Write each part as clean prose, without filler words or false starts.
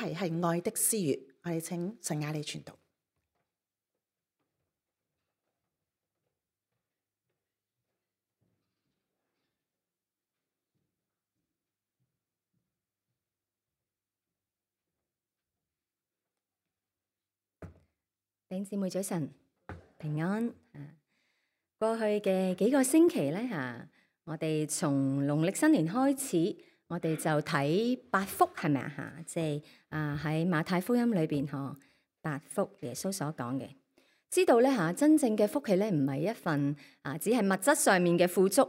題係愛的私語，我哋請陳雅莉傳道。弟兄姊妹早晨，平安。過去嘅幾個星期咧我哋從農曆新年開始，我哋就睇八福，係咪啊？即係喺馬太福音裏邊八福耶穌所講嘅，知道咧真正嘅福氣咧唔係一份只係物質上面嘅富足。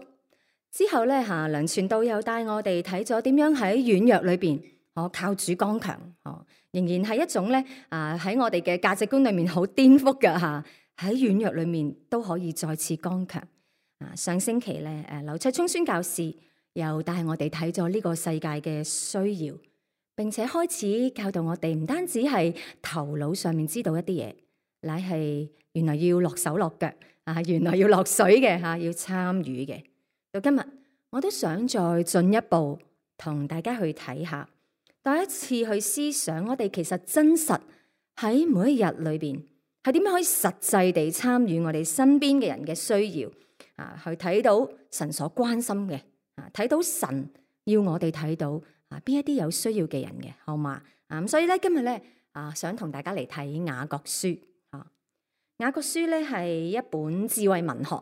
之後咧梁傳道又帶我哋睇咗點樣喺軟弱裏邊靠主剛強，仍然係一種咧喺我哋嘅價值觀裏面好顛覆嘅喺軟弱裏面都可以再次剛強。上星期咧劉卓聰宣教士又帶我哋睇咗呢個世界嘅需要，並且開始教導我哋唔單止係頭腦上面知道一啲嘢，乃係原來要落手落腳原來要落水嘅要參與嘅。到今日我都想再進一步同大家去睇下，第一次去思想我哋其實真實喺每一日裏邊係點樣可以實際地參與我哋身邊嘅人嘅需要去睇到神所關心嘅睇到神要我哋睇到邊一啲有需要嘅人嘅，好嘛？咁所以咧今日咧想同大家嚟睇雅各書雅各書咧係一本智慧文學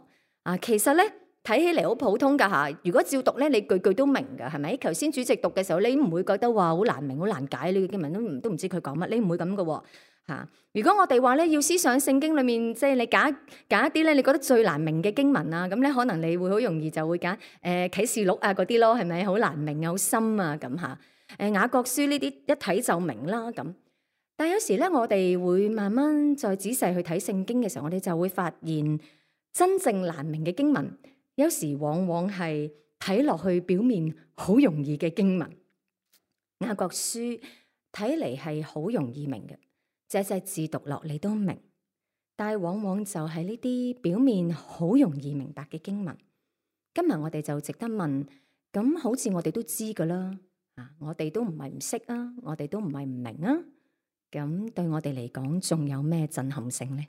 其實咧睇起嚟好普通噶如果照讀咧，你句句都明噶，係咪？頭先主席讀嘅時候，你唔會覺得話好難明、好難解呢個經文都唔知佢講乜，你唔會咁噶如果我哋話咧要思想聖經裏面，即係你揀一啲咧，你覺得最難明嘅經文咁咧，可能你會好容易就會揀啟示錄嗰啲咯，係咪？好難明、好深啊咁雅各書呢啲一睇就明啦咁。但係有時咧，我哋會慢慢再仔細去睇聖經嘅時候，我哋就會發現真正難明嘅經文，有時往往係睇落去表面好容易嘅經文。雅各書睇嚟係好容易明嘅，隻字讀落你都明，但係往往就係呢啲表面好容易明白嘅經文。今日我哋就值得問，咁好似我哋都知噶啦，我哋都唔係唔識啊，我哋都唔係唔明啊，咁對我哋嚟講仲有咩震撼性呢？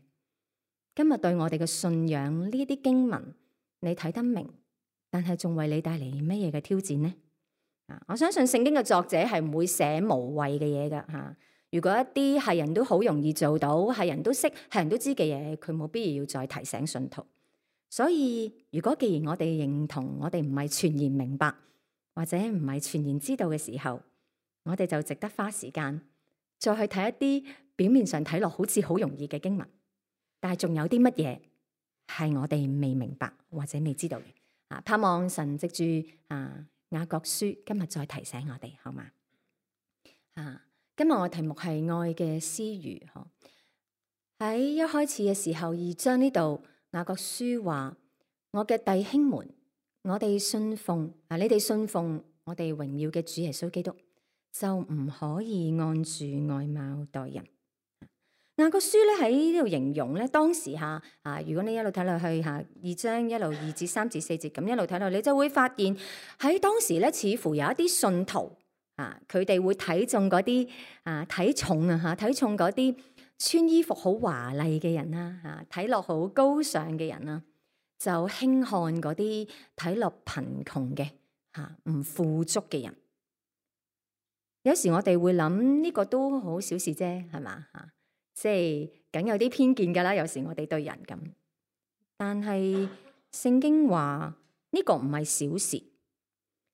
今日對我哋嘅信仰呢啲經文，你睇得明，但係仲為你帶嚟乜嘢嘅挑戰呢？我相信聖經嘅作者係唔會寫無謂嘅嘢噶如果一啲係人都好容易做到，係人都識，係人都知嘅嘢，佢冇必要再提醒信徒。所以如果既然我哋認同我哋唔係全然明白，或者唔係全然知道嘅時候，我哋就值得花時間再去睇一啲表面上睇落好似好容易嘅經文，但係仲有啲乜嘢係我哋未明白或者未知道嘅。盼望神藉住雅各書今日再提醒我哋，好嘛？今日我題目係愛嘅私語。喺一開始嘅時候，2章呢度雅各書話：我嘅弟兄們，我哋信奉你哋信奉我哋榮耀嘅主耶穌基督，就唔可以按住外貌待人。雅各書咧喺呢度形容咧，當時如果你一路睇落去2章一路2至3至4節咁一路睇落，你就會發現喺當時咧，似乎有一啲信徒佢哋會睇重嗰啲睇重嗰啲穿衣服好華麗嘅人啦，睇落好高尚嘅人啦，就輕看嗰啲睇落貧窮嘅唔富足嘅人。有時我哋會諗呢個都好小事啫，係嘛即係梗有啲偏見噶啦，有時我哋對人咁，但係聖經話呢個唔係小事，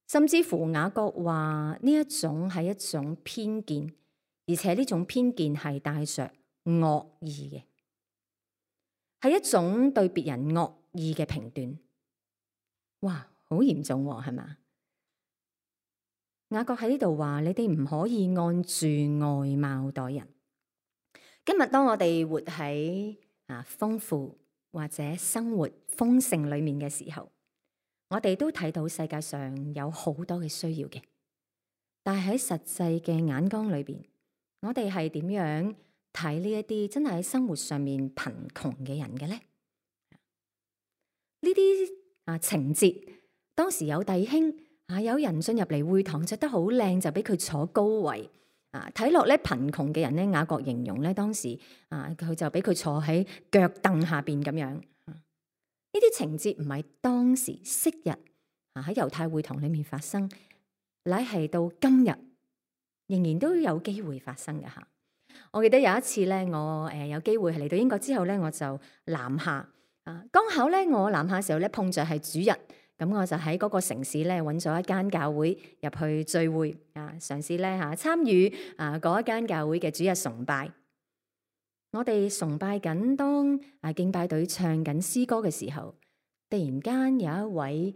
甚至乎雅各話呢一種係一種偏見，而且呢種偏見係帶着惡意嘅，係一種對別人惡意嘅評斷。哇，好嚴重喎，係嘛？雅各喺呢度話你哋唔可以按住外貌待人。今日當我哋活喺豐富或者生活豐盛裏面嘅時候，我哋都睇到世界上有好多嘅需要嘅，但係喺實際嘅眼光裏邊，我哋係點樣睇呢一啲真係喺生活上面貧窮嘅人嘅咧？呢啲情節，當時有弟兄有人進入嚟會堂着得好靚，就俾佢坐高位睇落咧貧窮嘅人咧，雅各形容咧當時佢就俾佢坐喺腳凳下邊咁樣。呢啲情節唔係當時昔日喺猶太會堂裏面發生，乃係到今日仍然都有機會發生嘅嚇。我記得有一次咧，我有機會係嚟到英國之後咧，我就南下剛巧咧我南下嘅時候咧碰着係主日，咁我就喺嗰個城市咧揾咗一間教會入去聚會嘗試咧參與嗰一間教會嘅主日崇拜。我哋崇拜緊，當敬拜隊唱緊詩歌嘅時候，突然間有一位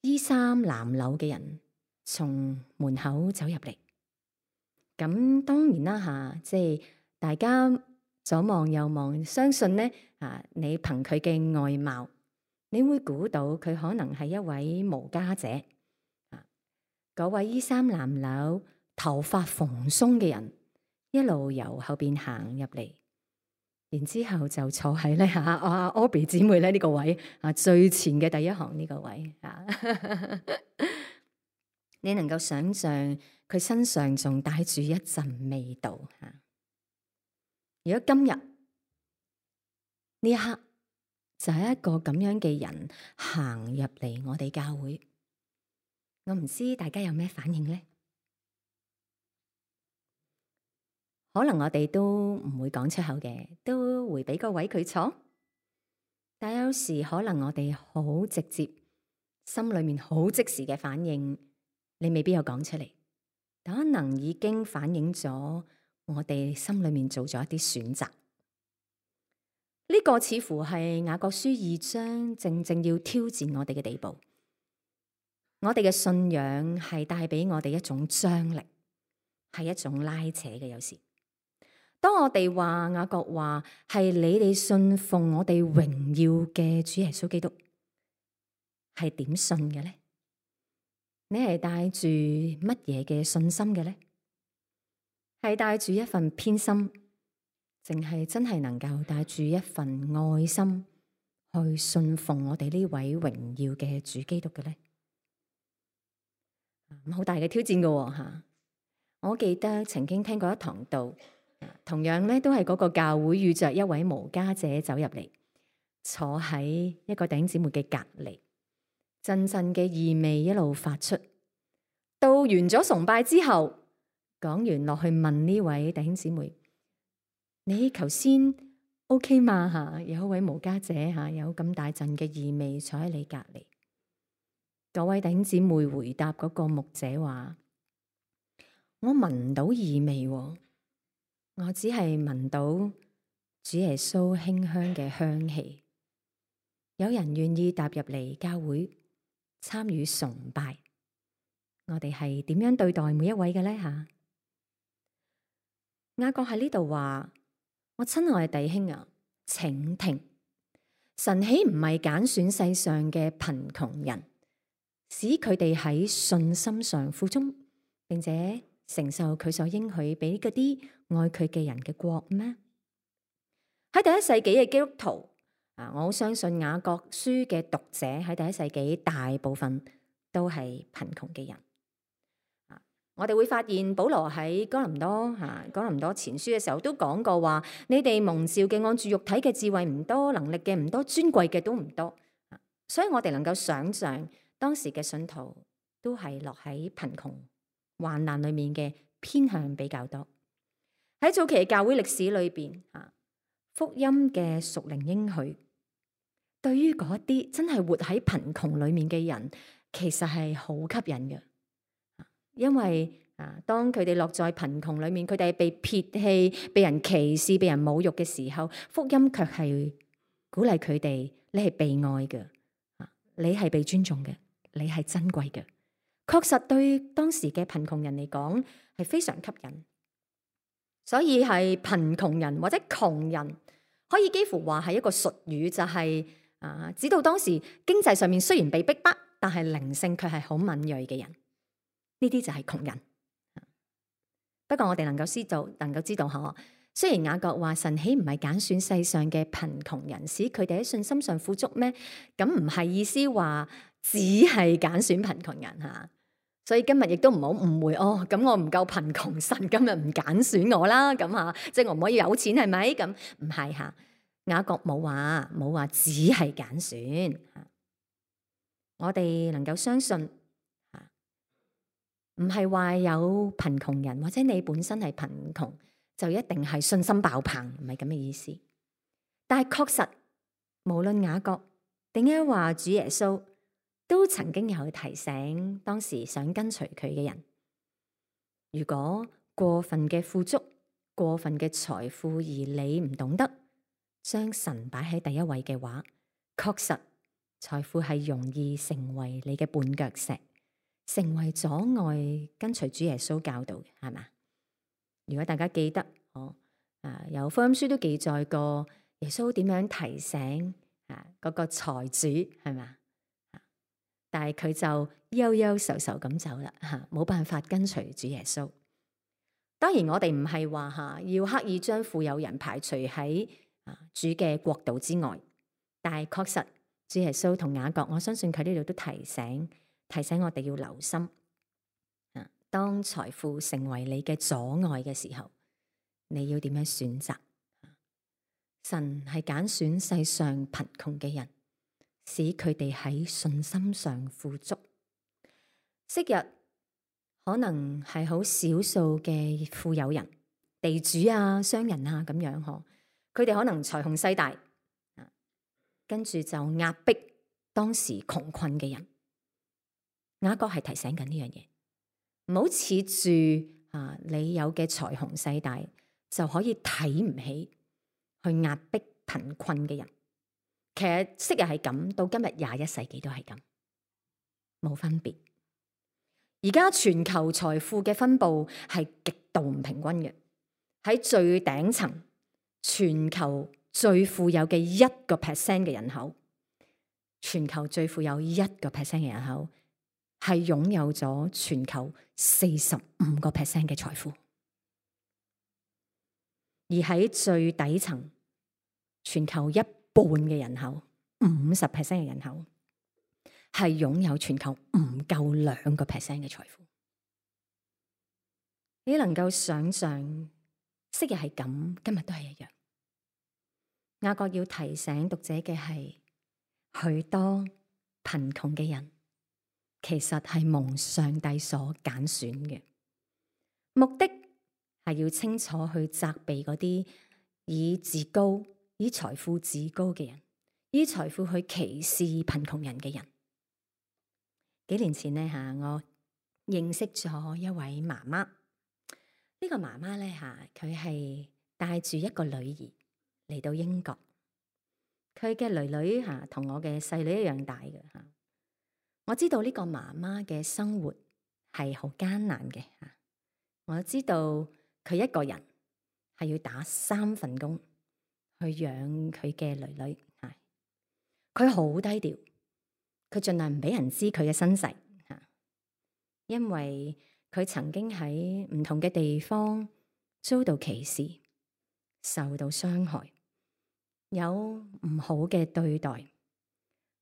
衣衫襤褸嘅人從門口走入嚟。咁當然啦即係大家左望右望，相信咧你憑佢嘅外貌，你會估到佢可能係一位無家者。嗰位衣衫襤褸、頭髮蓬鬆嘅人，一路由後邊行入嚟，然之後就坐喺咧Aubrey 姊妹咧呢個位最前嘅第一行呢個位你能夠想象佢身上仲帶住一陣味道如果今日呢一刻就係一個咁樣嘅人行入嚟我哋教會，我唔知大家有咩反應呢？可能我哋都唔會講出口嘅，都會俾個位佢坐。但有時可能我哋好直接，心裏面好即時嘅反應，你未必有講出嚟，但可能已經反映咗我哋心裏面做咗一啲選擇。呢個似乎係雅各書2章正正要挑戰我哋嘅地步。我哋嘅信仰係帶俾我哋一種張力，係一種拉扯嘅。有時當我哋話雅各話係你哋信奉我哋榮耀嘅主耶穌基督，係點信嘅呢？你係帶住乜嘢嘅信心嘅呢？係帶住一份偏心，淨係真係能夠帶住一份愛心去信奉我哋呢位榮耀嘅主基督嘅呢？好大嘅挑戰㗎吓！我記得曾經聽過一堂道，同樣咧都係嗰個教會遇着一位無家者走入嚟，坐喺一個弟兄姊妹嘅隔籬，陣陣嘅異味一路發出。到完咗崇拜之後，講完落去問呢位弟兄姊妹：你頭先 OK 嘛？吓，有一位無家者吓，有咁大陣嘅異味坐喺你隔籬。嗰位弟兄姊妹回答嗰個牧者話：我聞唔到異味，我只係聞到主耶穌馨香嘅香氣。有人願意踏入嚟教會參與崇拜，我哋係點樣對待每一位嘅呢？吓，雅各喺呢度話：我親愛嘅弟兄啊，請聽，神豈唔係揀選世上嘅貧窮人，使佢哋喺信心上富足，並且承受佢所應許俾嗰啲愛佢嘅人嘅國咩？喺第一世紀嘅基督徒我好相信雅各書嘅讀者喺第一世紀大部分都係貧窮嘅人。我哋會發現保羅喺哥林多前書嘅時候都講過話：你哋蒙召嘅按住肉體嘅智慧唔多，能力嘅唔多，尊貴嘅都唔多。所以我哋能夠想象當時嘅信徒都係落喺貧窮患難裏面嘅偏向比較多。喺早期嘅教會歷史裏邊福音嘅屬靈應許，對於嗰啲真係活喺貧窮裏面嘅人，其實係好吸引嘅。因為當佢哋落在貧窮裏面，佢哋係被撇棄、被人歧視、被人侮辱嘅時候，福音卻係鼓勵佢哋：你係被愛嘅，你係被尊重嘅，你係珍貴嘅。確實對當時嘅貧窮人嚟講係非常吸引。所以係貧窮人或者窮人，可以幾乎話係一個術語，就係指到當時經濟上面雖然被逼迫，但係靈性卻係好敏銳嘅人。呢啲就係窮人。不過我哋能夠知道嗬，雖然雅各話神豈唔係揀選世上嘅貧窮人，使佢哋喺信心上富足咩？咁唔係意思話只係揀選貧窮人吓。所以今日亦都唔好誤會哦。咁我唔夠貧窮，神今日唔揀選我啦。咁嚇，即係我唔可以有錢係咪？咁唔係嚇。雅各冇話只係揀選。我哋能夠相信嚇，唔係話有貧窮人或者你本身係貧窮就一定係信心爆棚，唔係咁嘅意思。但係確實，無論雅各定係話主耶穌，都曾經有提醒當時想跟隨佢嘅人，如果過分嘅富足、過分嘅財富而你唔懂得將神擺喺第一位嘅話，確實財富係容易成為你嘅絆腳石，成為阻礙跟隨主耶穌教導嘅，係嘛？如果大家記得，有福音書都記載過耶穌點樣提醒嗰個財主，係嘛？但係佢就憂憂愁愁咁走啦，冇辦法跟隨主耶穌。當然我哋唔係話要刻意將富有人排除喺主嘅國度之外，但係確實主耶穌同雅各，我相信佢呢度都提醒我哋要留心。當財富成為你嘅阻礙嘅時候，你要點樣選擇？神係揀選世上貧窮嘅人，使佢哋喺信心上富足。昔日可能係好少數嘅富有人、地主啊、商人啊咁樣嗬，佢哋可能財雄勢大，跟住就壓迫當時窮困嘅人。雅各係提醒緊呢樣嘢，唔好恃住你有嘅財雄勢大就可以睇唔起去壓迫貧困嘅人。其實昔日係咁，到今日21世紀都係咁，冇分別。而家全球財富嘅分佈係極度唔平均嘅。喺最頂層，全球最富有嘅1% 嘅人口，全球最富有1% 嘅人口係擁有咗全球45% 嘅財富。而喺最底層，全球1半嘅人口，50% 嘅人口係擁有全球唔夠2% 嘅財富。你能夠想象昔日係咁，今日都係一樣。雅各要提醒讀者嘅係，許多貧窮嘅人其實係蒙上帝所揀選嘅，目的係要清楚去責備嗰啲以自高、以財富自高嘅人，以財富去歧視貧窮人嘅人。幾年前呢，我認識咗一位媽媽。呢個媽媽咧佢係帶住一個女兒嚟到英國。佢嘅女女同我嘅細女一樣大嘅。我知道呢個媽媽嘅生活係好艱難嘅。我知道佢一個人係要打3份工去養佢嘅女女。佢好低調，佢盡量唔俾人知佢嘅身世，因為佢曾經喺唔同嘅地方遭到歧視，受到傷害，有唔好嘅對待，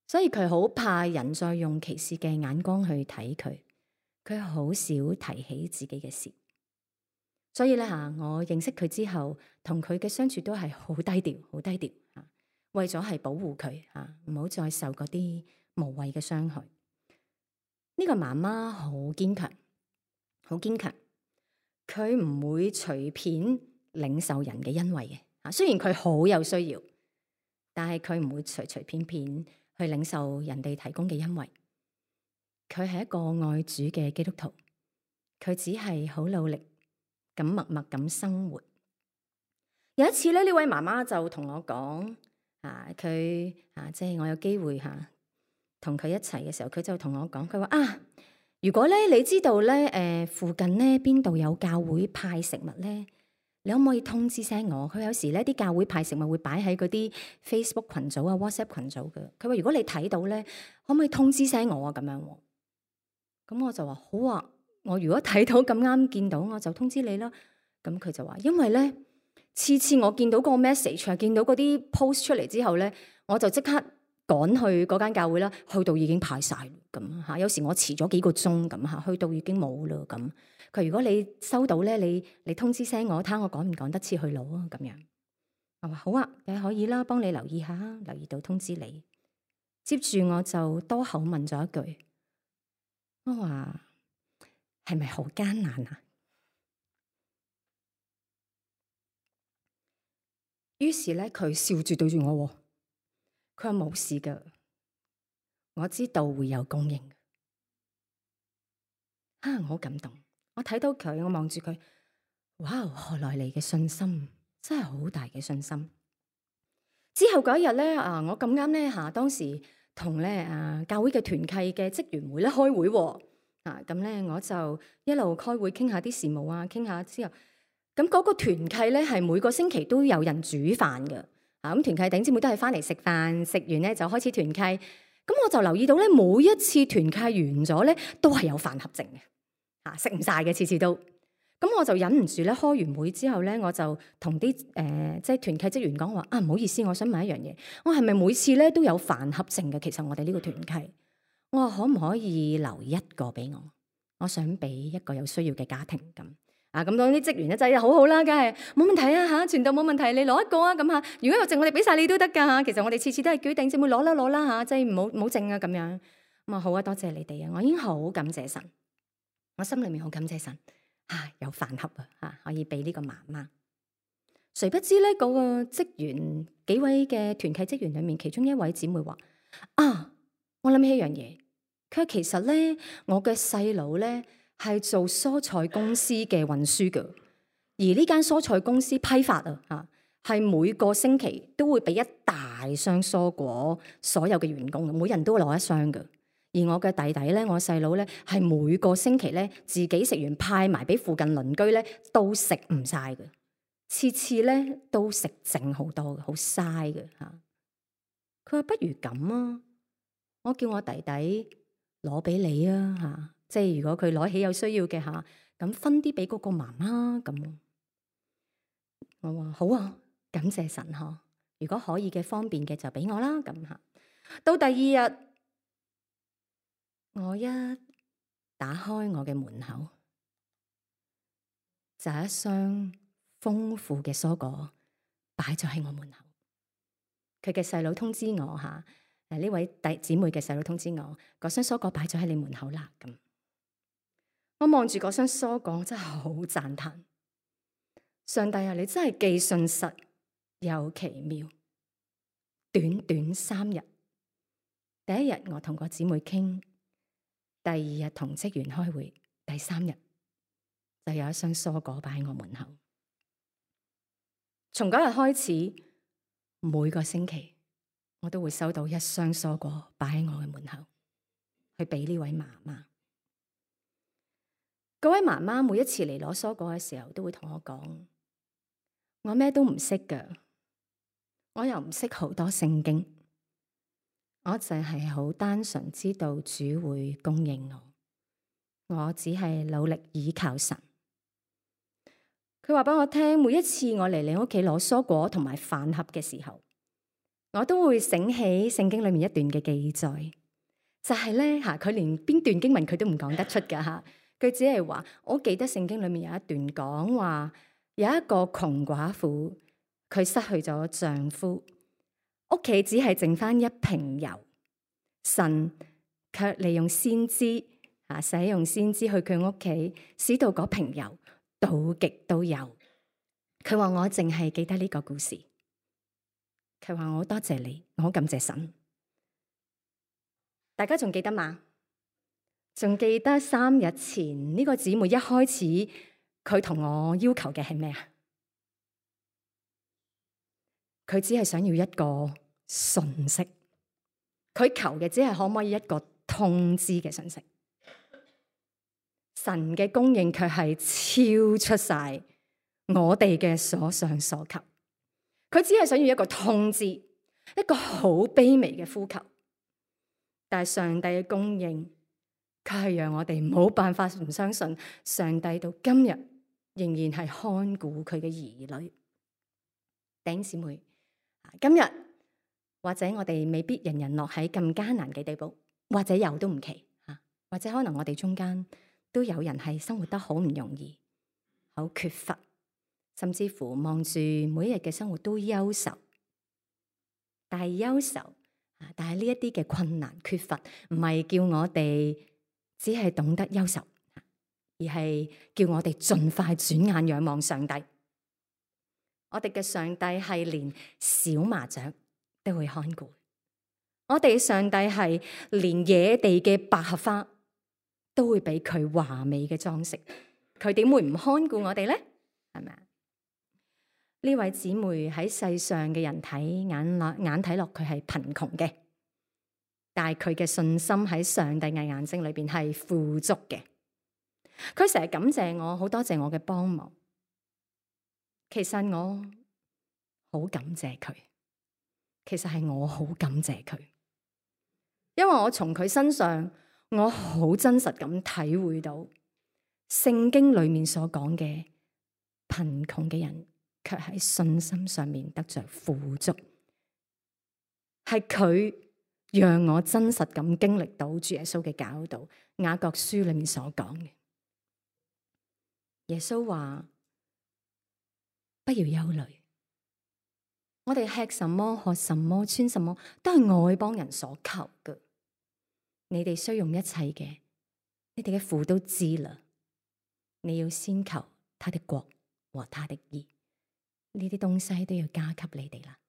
所以佢好怕人再用歧視嘅眼光去睇佢。佢好少提起自己嘅事，所以咧我認識佢之後，同佢嘅相處都係好低調，好低調。為咗係保護佢唔好再受嗰啲無謂嘅傷害。呢個媽媽好堅強，好堅強，佢唔會隨便領受人嘅恩惠嘅。雖然佢好有需要，但係佢唔會隨隨便便去領受人哋提供嘅恩惠。佢係一個愛主嘅基督徒，佢只係好努力咁默默咁生活。有一次咧，呢位媽媽就同我講，佢即係我有機會同佢一齊嘅時候，佢就同我講，佢話如果咧你知道咧附近咧邊度有教會派食物咧，你可唔可以通知聲我？佢有時咧啲教會派食物會擺喺嗰啲 Facebook 群組啊、WhatsApp 群組嘅。佢話如果你睇到咧，可唔可以通知聲我啊？咁樣。咁我就話好啊，我如果睇到咁啱見到，我就通知你啦。咁佢就話，因為咧次次我見到個 message 見到嗰啲 post 出嚟之後咧，我就即刻趕去嗰間教會啦，去到已經排晒咁嚇。有時我遲咗幾個鐘咁嚇，去到已經冇啦咁。佢如果你收到咧，你通知聲我，睇下我趕唔趕得切去攞啊咁樣。我話好啊，你可以啦，幫你留意下，留意到通知你。接住我就多口問咗一句，我話係咪好艱難啊？於是咧，佢笑住對住我，佢話冇事噶，我知道會有供應。我好感動，我睇到佢，我望住佢，哇！何來嚟嘅信心，真係好大嘅信心。之後嗰一日咧，我咁啱咧當時同咧教會嘅團契嘅職員會咧開會喎，咁咧我就一路開會傾下啲事務啊，傾下之後，咁嗰個團契咧係每個星期都有人煮飯嘅，咁團契弟兄姊妹都係翻嚟食飯，食完咧就開始團契，咁我就留意到咧每一次團契完咗咧都係有飯盒剩嘅，食唔晒嘅次次都。咁我就忍唔住咧，開完會之後咧，我就同啲即係團契職員講話唔好意思，我想問一樣嘢，我係咪每次咧都有飯盒剩嘅？其實我哋呢個團契，我話可唔可以留一個俾我？我想俾一個有需要嘅家庭咁。咁當啲職員咧就係好好啦，梗係冇問題啊嚇，傳道冇問題，你攞一個啊咁嚇。如果有剩，我哋俾晒你都得㗎嚇。其實我哋次次都係叫弟兄姊妹攞啦嚇，即係唔好剩啊咁樣。咁好啊，多謝你哋啊，我已經好感謝神，我心裏面好感謝神。有飯盒可以俾呢個媽媽。誰不知咧，嗰個職員幾位嘅團契職員裏面，其中一位姊妹話：我諗起一樣嘢，佢話其實咧，我嘅細佬咧係做蔬菜公司嘅運輸嘅，而呢間蔬菜公司批發係每個星期都會俾一大箱蔬果，所有嘅員工，每人都攞一箱嘅。而我嘅弟弟咧，我細佬咧，係每個星期咧自己食完派埋俾附近鄰居咧，都食唔晒嘅，次次咧都食剩好多嘅，好嘥嘅嚇。佢話不如咁啊，我叫我弟弟攞俾你啊嚇，即係如果佢攞起有需要嘅嚇，咁分啲俾嗰個媽媽咁。我話好啊，感謝神呵，如果可以嘅方便嘅就俾我啦咁嚇。到第二日。我一打開我嘅門口，就一箱豐富嘅蔬果擺咗喺我門口。佢嘅細佬通知我呢位弟姊妹嘅細佬通知我，嗰箱蔬果擺咗喺你門口啦。咁我望住嗰箱蔬果，我真係好讚嘆。上帝啊，你真係既信實又奇妙。短短3日，第一日我同個姊妹傾。第二日同職員開會，第3日就有一箱蔬果擺喺我門口。從嗰日開始，每個星期我都會收到一箱蔬果擺喺我嘅門口，去俾呢位媽媽。嗰位媽媽每一次嚟攞蔬果嘅時候，都會同我講：我咩都唔識㗎，我又唔識好多聖經。我淨係好單純知道主會供應我只係努力倚靠神。佢話俾我聽，每一次我嚟你屋企攞蔬果同埋飯盒嘅時候，我都會醒起聖經裏面一段嘅記載，就係咧佢連邊段經文佢都唔講得出噶吓，佢只係話我記得聖經裏面有一段講話，有一個窮寡婦，佢失去咗丈夫。屋企只係剩翻一瓶油，神卻利用先知使用先知去佢屋企，使到嗰瓶油倒極都有。佢話我淨係記得呢個故事，佢話我多謝你，我好感謝神。大家仲記得嗎？仲記得3日前呢個姊妹一開始佢同我要求嘅係咩啊？佢只係想要一個信息，佢求嘅只係可唔可以一個通知嘅信息。神嘅供應卻係超出晒我哋嘅所想所求。佢只係想要一個通知，一個好卑微嘅呼求。但係上帝嘅供應卻係讓我哋冇辦法唔相信，上帝到今日仍然係看顧佢嘅兒女。弟兄姊妹，今日或者我哋未必人人落喺咁艱難嘅地步，或者有都唔奇嚇，或者可能我哋中間都有人係生活得好唔容易，好缺乏，甚至乎望住每一日嘅生活都憂愁。但係憂愁，但係呢一啲嘅困難缺乏，唔係叫我哋只係懂得憂愁，而係叫我哋盡快轉眼仰望上帝。我哋嘅上帝係連小麻雀都會看顧，我哋上帝係連野地嘅百合花都會俾佢華美嘅裝飾，佢點會唔看顧我哋咧？係咪啊？呢位姊妹喺世上嘅人眼睇落佢係貧窮嘅，但係佢嘅信心喺上帝嘅眼睛裏邊係富足嘅。佢成日感謝我，好多謝我嘅幫忙。其實我好感謝佢，其實係我好感謝佢，因為我從佢身上，我好真實咁體會到聖經裏面所講嘅貧窮嘅人，卻喺信心上面得着富足，係佢讓我真實咁經歷到主耶穌嘅教導。雅各書裏面所講嘅，耶穌話：不要憂慮，我哋吃什麼、喝什麼、穿什麼，都係外邦人所求嘅。你哋需用一切嘅，你哋嘅父都知啦。你要先求他的國和他的義，呢啲東西都要加給你哋啦。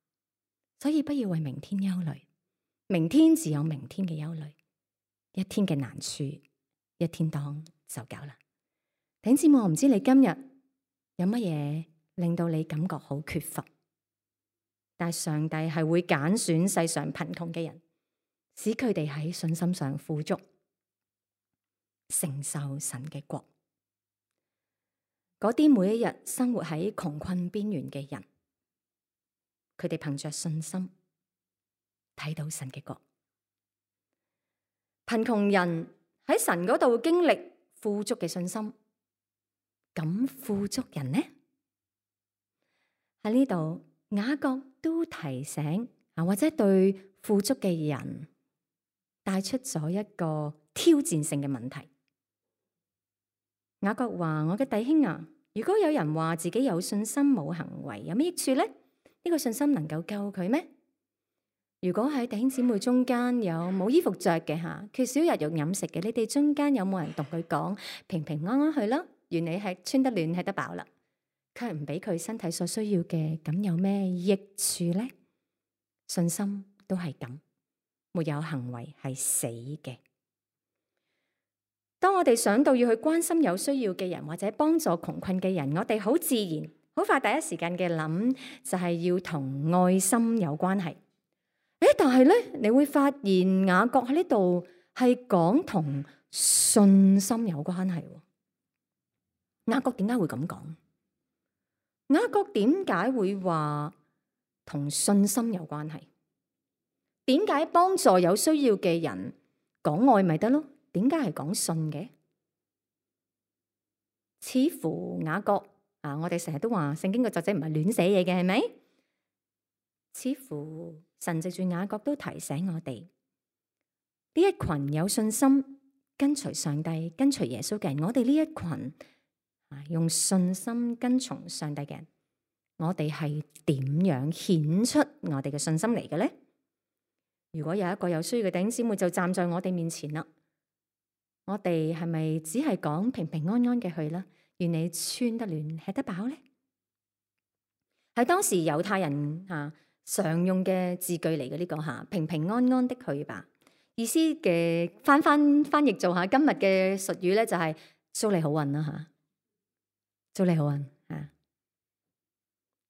所以不要為明天憂慮，明天自有明天嘅憂慮，一天嘅難處一天當就夠啦。弟兄姊妹，我唔知你今日有乜嘢令到你感覺好缺乏，但係上帝係會揀選世上貧窮嘅人，使佢哋喺信心上富足，承受神嘅國。嗰啲每一日生活喺窮困邊緣嘅人，佢哋憑着信心睇到神嘅國。貧窮人喺神嗰度經歷富足嘅信心，咁富足人呢？喺呢度雅各都提醒或者對富足嘅人帶出咗一個挑戰性嘅問題。雅各話：我嘅弟兄啊，如果有人話自己有信心冇行為，有咩益處呢？呢個信心能夠救佢咩？如果喺弟兄姊妹中間有冇衣服着嘅吓，缺少日用飲食嘅，你哋中間有冇人同佢講平平安安去啦？願你係穿得暖，吃得飽啦，卻唔俾佢身體所需要嘅，咁有咩益處呢？信心都係咁，沒有行為係死嘅。當我哋想到要去關心有需要嘅人或者幫助窮困嘅人，我哋好自然好快第一時間嘅諗就係要同愛心有關係。但係咧，你會發現雅各喺呢度係講同信心有關係。雅各點解會咁講？雅各點解會話同信心有關係？點解幫助有需要嘅人講愛咪得咯？點解係講信嘅？似乎雅各我哋成日都話聖經嘅作者唔係亂寫嘢嘅，係咪？似乎神藉住雅各都提醒我哋，呢一群有信心跟隨上帝、跟隨耶穌嘅人，我哋呢一群用信心跟從上帝嘅人，我哋係點樣顯出我哋嘅信心嚟嘅咧？如果有一個有需要嘅弟兄姊妹就站在我哋面前啦，我哋係咪只係講平平安安嘅去啦？願你穿得暖，吃得飽咧？喺當時猶太人常用嘅字句嚟嘅呢個平平安安的去吧，意思嘅翻譯做下今日嘅術語咧，就係祝你好運啦祝你好運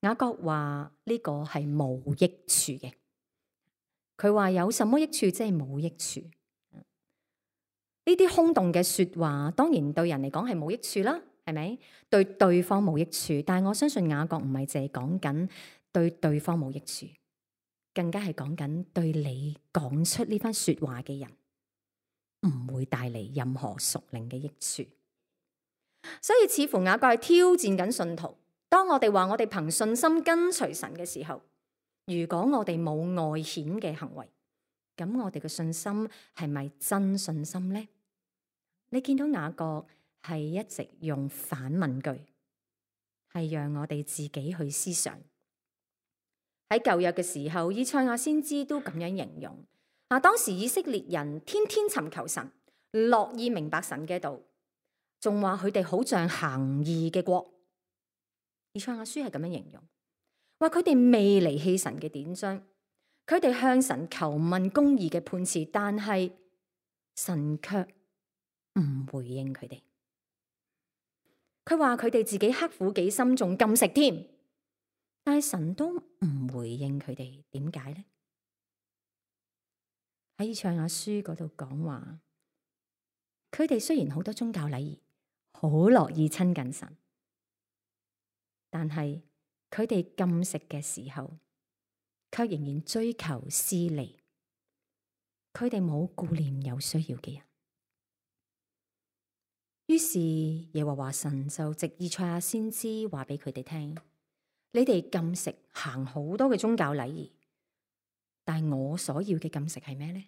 雅各話呢個係冇益處嘅，佢話有什麼益處？即係冇益處。呢啲空洞嘅說話，當然對人嚟講係冇益處啦，係咪？對對方冇益處，但係我相信雅各唔係淨係講緊對對方冇益處，更加係講緊對你講出呢番說話嘅人唔會帶嚟任何屬靈嘅益處。所以似乎雅各係挑戰緊信徒。當我哋話我哋憑信心跟隨神嘅時候，如果我哋冇外顯嘅行為，咁我哋嘅信心係咪真信心呢？你見到雅各係一直用反問句，係讓我哋自己去思想。喺舊約嘅時候，以賽亞先知都咁樣形容。當時以色列人天天尋求神，樂意明白神嘅道，仲話佢哋好像行義嘅國。以賽亞書係咁樣形容，話佢哋未離棄神嘅典章，佢哋向神求問公義嘅判詞，但係神卻唔回應佢哋。佢話佢哋自己刻苦己心，仲禁食添，但係神都唔回應佢哋，點解呢？喺以賽亞書嗰度講話，佢哋雖然好多宗教禮儀，好樂意親近神，但係佢哋禁食嘅時候，卻仍然追求私利。佢哋冇顧念有需要嘅人。於是耶和華神就藉以賽亞先知話俾佢哋聽：你哋禁食行好多嘅宗教禮儀，但係我所要嘅禁食係咩呢？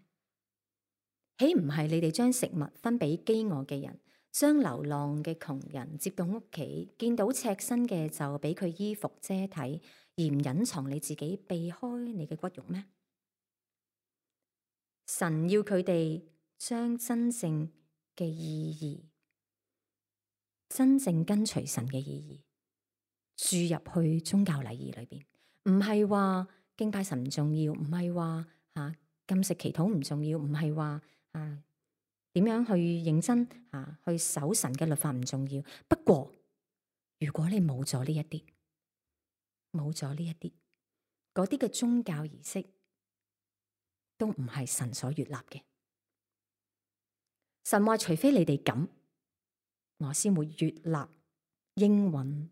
豈唔係你哋將食物分俾飢餓嘅人，將流浪嘅窮人接到屋企，見到赤身嘅就俾佢衣服遮體，而唔隱藏你自己，避開你嘅骨肉咩？神要佢哋將真正嘅意義，真正跟隨神嘅意義注入去宗教禮儀裏邊，唔係話敬拜神唔重要，唔係話禁食祈禱唔重要，唔係話點樣去認真去守神嘅律法唔重要。不過如果你冇咗呢一啲，冇咗呢一啲，嗰啲嘅宗教儀式都唔係神所悅納嘅。神話除非你哋咁，我先會悅納應允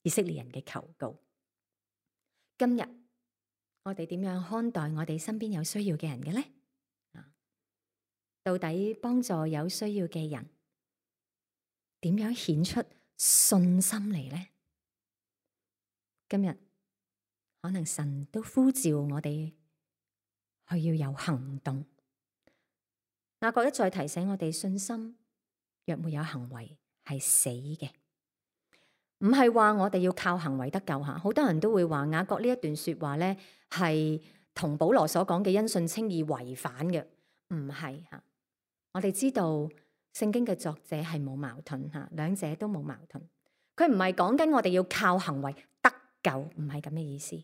以色列人嘅求告。今日我哋點樣看待我哋身邊有需要嘅人嘅呢？到底幫助有需要嘅人，點樣顯出信心嚟呢？今日可能神都呼召我哋去要有行動。雅各一再提醒我哋，信心若沒有行為係死嘅。唔係話我哋要靠行為得救吓，好多人都會話雅各呢一段說話咧係同保羅所講嘅因信稱義違反嘅，唔係吓。我哋知道聖經嘅作者係冇矛盾吓，兩者都冇矛盾。佢唔係講緊我哋要靠行為得救，唔係咁嘅意思。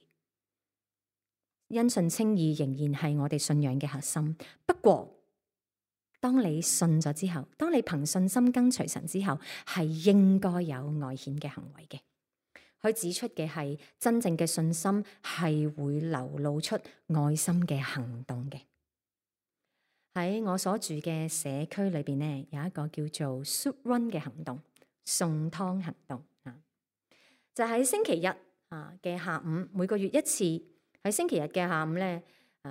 因信稱義仍然係我哋信仰嘅核心。不過當你信咗之後，當你憑信心跟隨神之後，係應該有外顯嘅行為嘅。佢指出嘅係真正嘅信心係會流露出愛心嘅行動嘅。喺我所住嘅社區裏邊呢，有一個叫做 Soup Run 嘅行動，送湯行動啊，就喺星期日嘅下午，每個月一次。喺星期日嘅下午咧，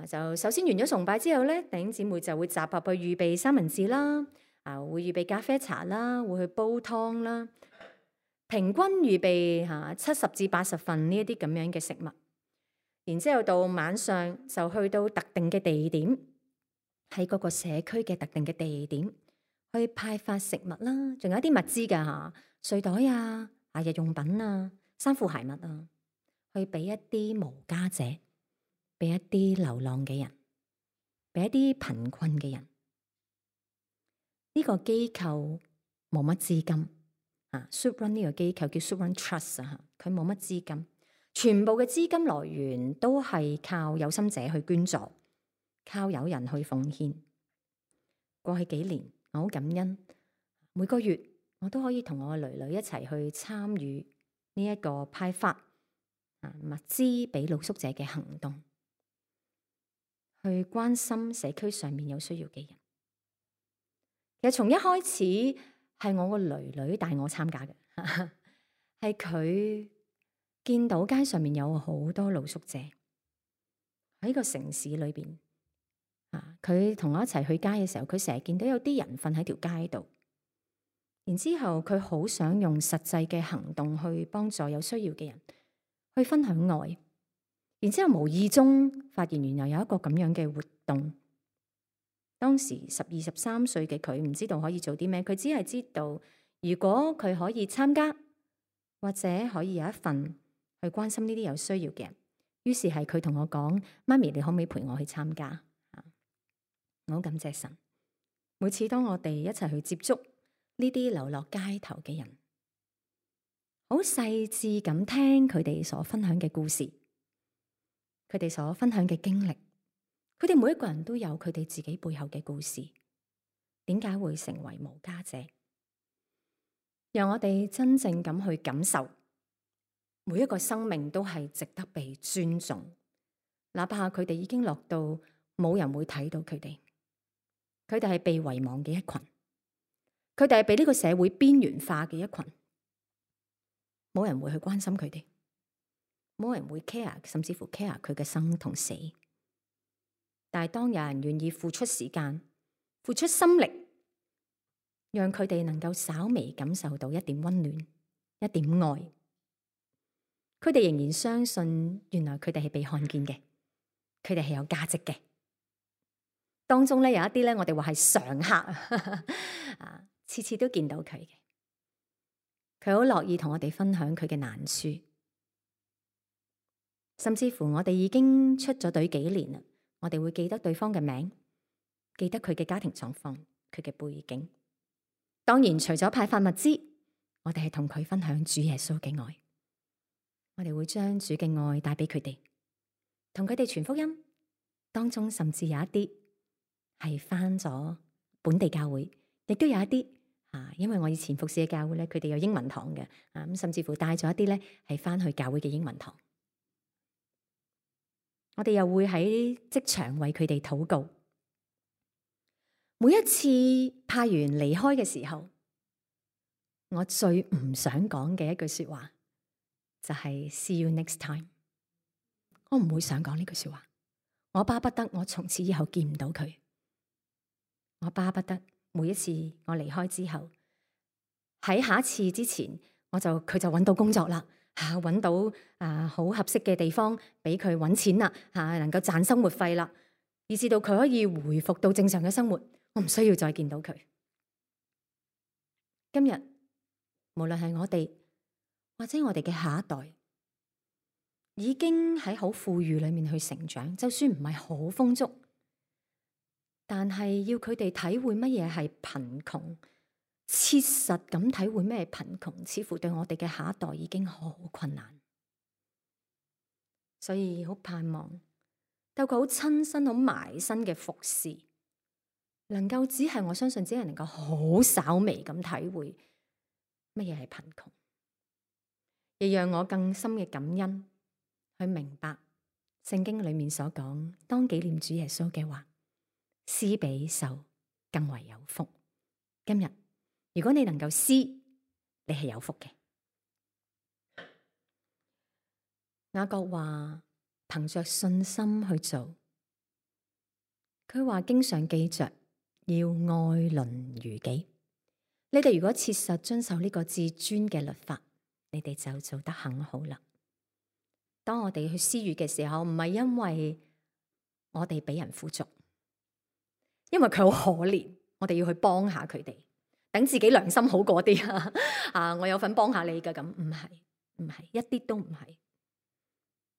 就首先完咗崇拜之後咧，弟兄姊妹就會集合去預備三文治啦，會預備咖啡茶啦，會去煲湯啦，平均預備70至80份呢一啲咁樣嘅食物。然之後到晚上就去到特定嘅地點，喺嗰個社區嘅特定嘅地點去派發食物啦，仲有一啲物資㗎睡袋啊、日用品啊、衫褲鞋襪啊，去俾一啲無家者，俾一啲流浪嘅人，俾一啲貧困嘅人。呢個機構冇乜資金Soup Run 呢個機構叫 Soup Run Trust 佢冇乜資金，全部嘅資金來源都係靠有心者去捐助，靠有人去奉獻。過去幾年我好感恩，每個月我都可以同我嘅囡囡一齊去參與呢一個派發物資俾露宿者嘅行動，去關心社區上面有需要嘅人。其實從一開始係我個囡囡帶我參加嘅，係佢見到街上面有好多露宿者喺個城市裏邊，佢同我一齊去街嘅時候，佢成日見到有啲人瞓喺條街度，然之後佢好想用實際嘅行動去幫助有需要嘅人，去分享愛。然之後無意中發現原來有一個咁樣嘅活動。當時12、13歲嘅佢唔知道可以做啲咩，佢只係知道如果佢可以參加，或者可以有一份去關心呢啲有需要嘅人。於是係佢同我講：媽咪，你可唔可以陪我去參加？我好感謝神。每次當我哋一齊去接觸呢啲流落街頭嘅人，好細緻咁聽佢哋所分享嘅故事，佢哋所分享嘅經歷，佢哋每一個人都有佢哋自己背後嘅故事。點解會成為無家者？讓我哋真正咁去感受，每一個生命都係值得被尊重，哪怕佢哋已經落到冇人會睇到佢哋，佢哋係被遺忘嘅一群，佢哋係被呢個社會邊緣化嘅一群，冇人會去關心佢哋，冇人會 care， 甚至乎 care 佢嘅生同死。但係當有人願意付出時間、付出心力，讓佢哋能夠稍微感受到一點溫暖、一點愛，佢哋仍然相信原來佢哋係被看見嘅，佢哋係有價值嘅。當中咧有一啲咧，我哋話係常客啊，次次都見到佢嘅，佢好樂意同我哋分享佢嘅難處，甚至乎我哋已經出咗隊幾年啦，我哋會記得對方嘅名，記得佢嘅家庭狀況、佢嘅背景。當然，除咗派發物資，我哋係同佢分享主耶穌嘅愛，我哋會將主嘅愛帶俾佢哋，同佢哋傳福音。當中甚至有一啲係返咗本地教會，亦都有一啲因為我以前服侍嘅教會咧，佢哋有英文堂嘅咁，甚至乎帶咗一啲咧係返去教會嘅英文堂。我哋又會喺職場為佢哋禱告。每一次派員離開嘅時候，我最唔想講嘅一句說話就係 See you next time。我唔會想講呢句說話。我巴不得我從此以後見唔到佢。我巴不得每一次我離開之後，喺下一次之前，佢就揾到工作啦，揾到好合適嘅地方俾佢揾錢啦，能夠賺生活費啦，以至到佢可以回復到正常嘅生活。我唔需要再見到佢。今日無論係我哋或者我哋嘅下一代，已經喺好富裕裏面去成長，就算唔係好豐足，但係要佢哋體會乜嘢係貧窮，切實咁體會咩係貧窮，似乎對我哋嘅下一代已經好困難。所以好盼望透過好親身、好埋身嘅服侍，能夠只係我相信，只係能夠好稍微咁體會乜嘢係貧窮，亦讓我更深嘅感恩，去明白聖經裏面所講，當紀念主耶穌嘅話，施比受更為有福。今日如果你能夠施，你係有福嘅。雅各話憑着信心去做，佢話經常記着要愛鄰如己。你哋如果切實遵守呢個至尊嘅律法，你哋就做得很好啦。當我哋去施予嘅時候，唔係因為我哋俾人富足，因為佢好可憐，我哋要去幫下佢哋，等自己良心好過啲我有份幫下你㗎，咁唔係，一啲都唔係。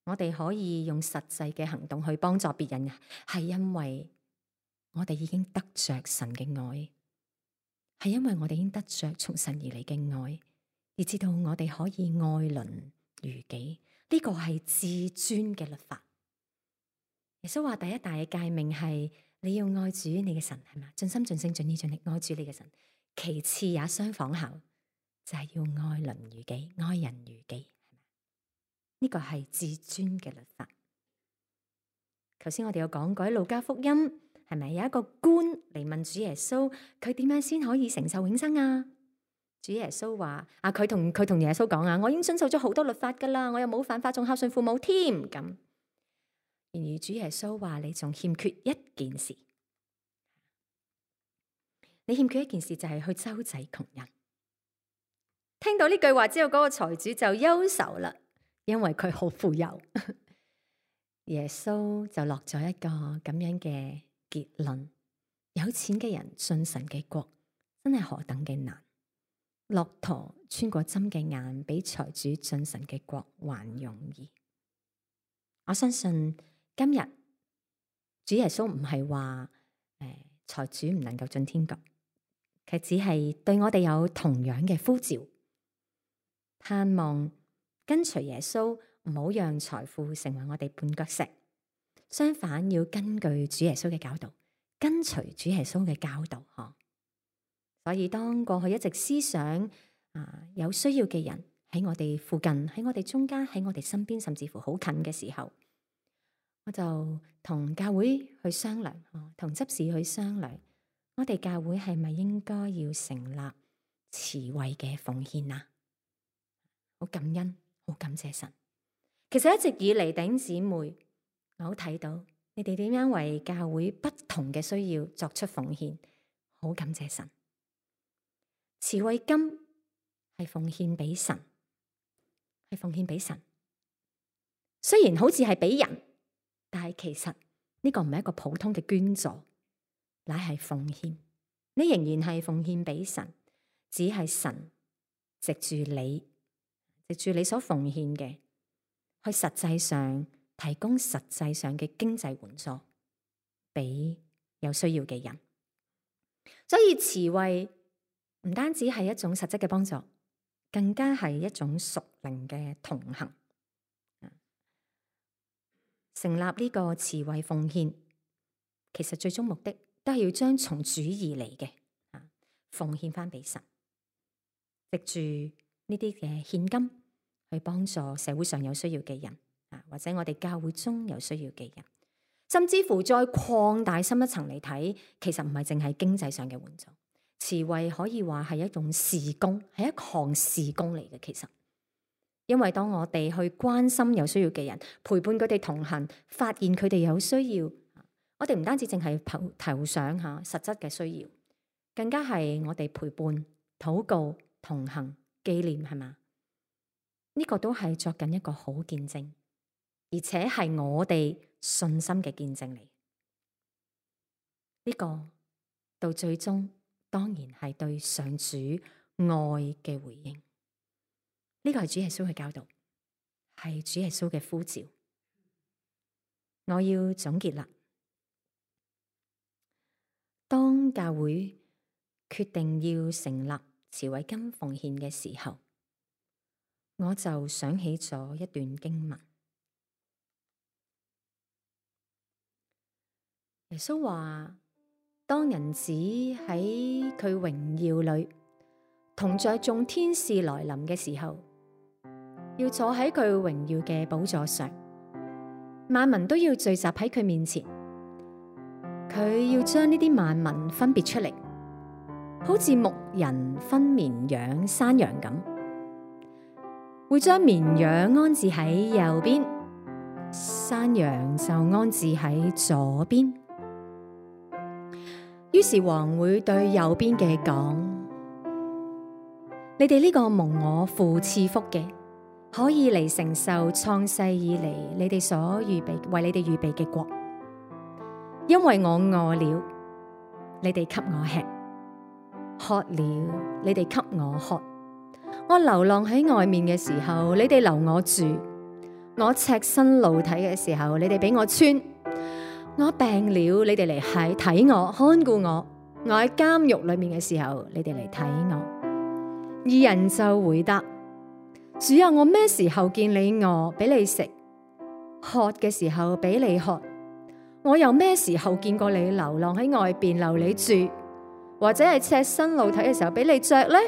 我哋可以用實際嘅行動去幫助別人，係因為我哋已經得着神嘅愛，係因為我哋已經得着從神而嚟嘅愛，而知道我哋可以愛鄰如己。呢個係至尊嘅律法。耶穌話第一大嘅誡命係你要愛主你嘅神，係嘛？盡心盡性盡意盡力愛主你嘅神。其次也相仿效，就係要愛鄰如己，愛人如己。呢個係至尊嘅律法。頭先我哋有講過喺路加福音，係咪有一個官嚟問主耶穌，佢點樣先可以承受永生啊？主耶穌話佢同耶穌講我已經遵守咗好多律法噶啦，我又冇犯法，仲孝順父母添。咁然而主耶穌話你仲欠缺一件事，你欠缺一件事就係去周濟窮人。聽到呢句話之後，嗰個財主就憂愁啦，因為佢好富有。耶穌就落咗一個咁樣嘅結論：有錢嘅人進神嘅國真係何等嘅難。駱駝穿過針嘅眼，比財主進神嘅國還容易。我相信今日主耶穌唔係話財主唔能夠進天國，佢只係對我哋有同樣嘅呼召，盼望跟隨耶穌，唔好讓財富成為我哋絆腳石。相反，要根據主耶穌嘅教導，跟隨主耶穌嘅教導。所以當過去一直思想有需要嘅人喺我哋附近，喺我哋中間，喺我哋身邊，甚至乎好近嘅時候，我就同教會去商量，同執事去商量，我哋教會係咪應該要成立慈惠嘅奉獻啊？好感恩，好感謝神。其實一直以嚟，弟兄姊妹，我好睇到你哋點樣為教會不同嘅需要作出奉獻，好感謝神。慈惠金係奉獻俾神，係奉獻俾神。雖然好似係俾人，但係其實呢個唔係一個普通嘅捐助，乃係奉獻。你仍然係奉獻俾神，只係神藉住你所奉獻嘅，去實際上提供實際上嘅經濟援助俾有需要嘅人。所以慈惠唔單止係一種實質嘅幫助，更加係一種屬靈嘅同行。成立呢個慈惠奉獻，其實最終目的都係要將從主而嚟嘅奉獻翻俾神，藉住呢啲嘅獻金去幫助社會上有需要嘅人，或者我哋教會中有需要嘅人，甚至乎再擴大深一層嚟睇，其實唔係淨係經濟上嘅援助。慈惠可以話係一種事工，係一項事工嚟嘅。其實，因為當我哋去關心有需要嘅人，陪伴佢哋同行，發現佢哋有需要，我哋唔單止淨係投上實質嘅需要，更加係我哋陪伴、禱告、同行、紀念，係嘛？呢個都係作緊一個好見證，而且係我哋信心嘅見證嚟。呢個到最終，當然係對上主愛嘅回應。呢個係主耶穌嘅教導，係主耶穌嘅呼召。我要總結啦。當教會決定要成立慈惠金奉獻嘅時候，我就想起咗一段經文。耶穌話：當人子喺佢榮耀裏同在眾天使來臨嘅時候，要坐喺佢榮耀嘅寶座上，萬民都要聚集喺佢面前。佢要將呢啲萬民分別出嚟，好似牧人分綿羊、山羊咁，會將綿羊安置喺右邊，山羊就安置喺左邊。於是王會對右邊嘅講：你哋呢個蒙我父賜福嘅，可以嚟承受創世以嚟你哋所預備為你哋預備嘅國，因為我餓了，你哋給我吃；渴了，你哋給我喝；我流浪喺外面嘅時候，你哋留我住；我赤身露體嘅時候，你哋俾我穿。我病了，你哋嚟睇我，看顧我；我喺監獄裏面嘅時候，你哋嚟睇我。義人就回答：主啊，我咩時候見你餓，俾你食；渴嘅時候俾你喝？我又咩時候見過你流浪喺外邊留你住，或者係赤身露體嘅時候俾你着呢？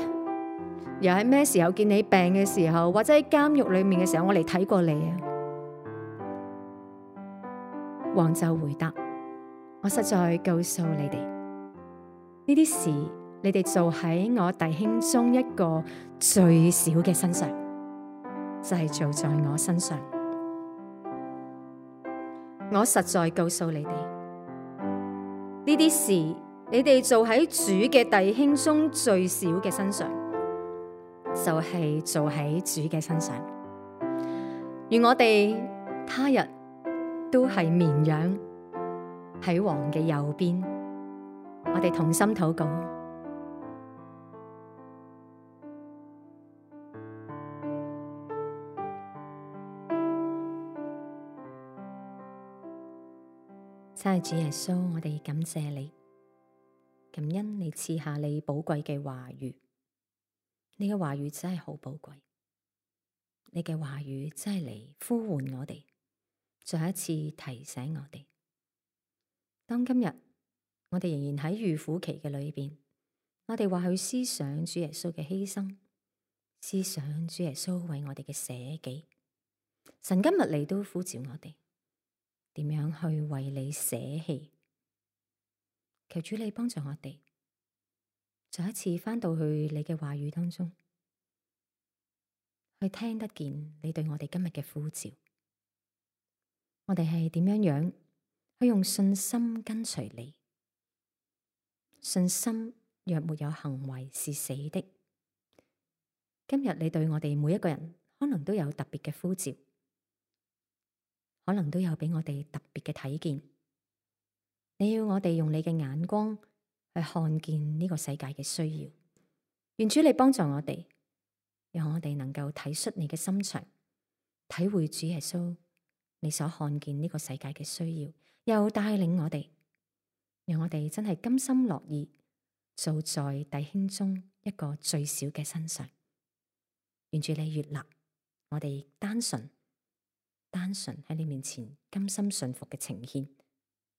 又喺咩時候見你病嘅時候，或者喺監獄裏面嘅時候，我嚟睇過你啊？王就回答：我實在告訴你哋，呢啲事你哋做喺我弟兄中一個最小嘅身上，就係做在我身上。我實在告訴你哋，呢啲事你哋做喺主嘅弟兄中最小嘅身上，就係做喺主嘅身上。願我哋他日都係綿羊喺王嘅右邊。我哋同心禱告。親愛主耶穌，我哋感謝你，感恩你賜下你寶貴嘅話語。你嘅話語真係好寶貴，你嘅話語真係嚟呼喚我哋，再一次提醒我哋。當今日我哋仍然喺預苦期嘅裏邊，我哋或去思想主耶穌嘅犧牲，思想主耶穌為我哋嘅捨己。神今日嚟都呼召我哋，點樣去為你捨棄？求主你幫助我哋，再一次返到去你嘅話語當中，去聽得見你對我哋今日嘅呼召。我哋係點樣去用信心跟隨你？信心若沒有行為是死的。今日你對我哋每一個人可能都有特別嘅呼召，可能都有俾我哋特別嘅睇見。你要我哋用你嘅眼光去看見呢個世界嘅需要。願主你幫助我哋，讓我哋能夠體恤你嘅心腸，體會主耶穌你所看見呢個世界嘅需要，又帶領我哋，讓我哋真係甘心樂意做在弟兄中一個最小嘅身上。願主你悅納我哋單純喺你面前甘心順服嘅呈獻。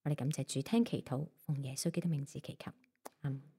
我哋感謝主，聽祈禱，奉耶穌基督名字祈求，阿們。